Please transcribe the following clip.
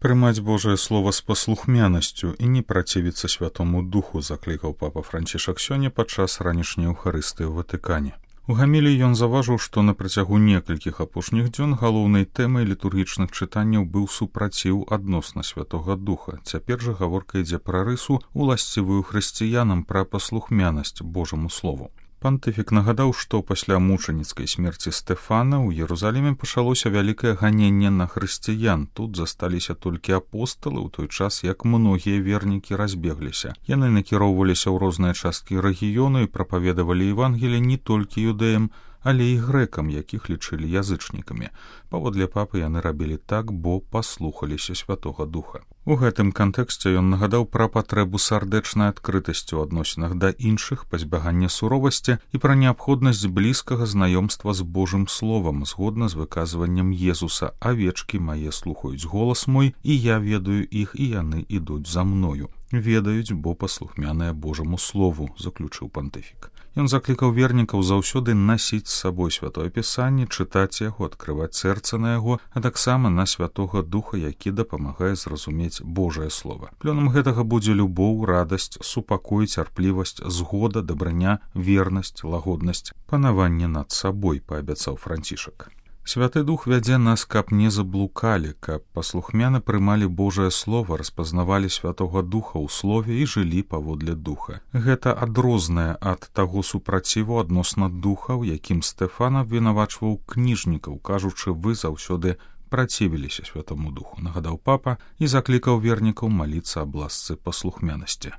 Прымаць Божае Слово з паслухмянасцю і не працівіцца Святому Духу, заклікаў папа Францішак сёння падчас ранішняй Еўхарыстыі ў Ватыкане. У гаміліі ён заўважыў, што на працягу некалькіх апошніх дзён галоўнай тэмай літургічных чытанняў быў супраціў адносна Святога Духа. Цяпер жа гаворка ідзе пра рысу, уласцівую хрысціянам, пра паслухмянасць Божаму Слову. Пантыфік нагадаў, што пасля мучаніцкай смерці Стэфана ў Єрусаліме пачалося вялікае ганенне на хрысціян. Тут засталіся толькі апосталы, у той час як многія вернікі разбегліся. Яны накіроўваліся ў розныя часткі рэгіёну і прапаведавалі Евангелие не толькі юдэям, але і грэкам, якіх лічылі язычнікамі. Паводле папы яны рабілі так, бо паслухаліся Святога Духа. У гэтым кантэксце ён нагадаў пра патрэбу сардэчнай адкрытасці ў адносінах да іншых, пазбягання суровасці і пра неабходнасць блізкага знаёмства з Божым Словам, згодна з выказваннем Езуса: «Авечкі мае слухаюць голас мой, і я ведаю іх, і яны ідуць за мною». Ведаюць, бо паслухмяныя Божаму Слову, заключыў пантыфік. Ён заклікаў вернікаў заўсёды насіць з сабой Святое Пісанне, чытаць яго, адкрываць сэрца на яго, а таксама на Святога Духа, які дапамагае зразумець Божае Слова. Плёнам гэтага будзе любоў, радасць, супакой, цярплівасць, згода, дабраня, вернасць, лагоднасць, панаванне над сабой, паабяцаў Францішак. Святы Дух вядзе нас, каб не заблукалі, каб паслухмяна прымалі Божае Слово, распазнавалі Святога Духа ў Слове і жылі паводле Духа. Гэта адрознае ад таго супраціву адносна Духа, у якім Стэфан абвінавачваў кніжнікаў, кажучы: «Вы заўсёды працівіліся Святому Духу», нагадаў папа і заклікаў вернікаў маліцца аб ласцы паслухмянасці.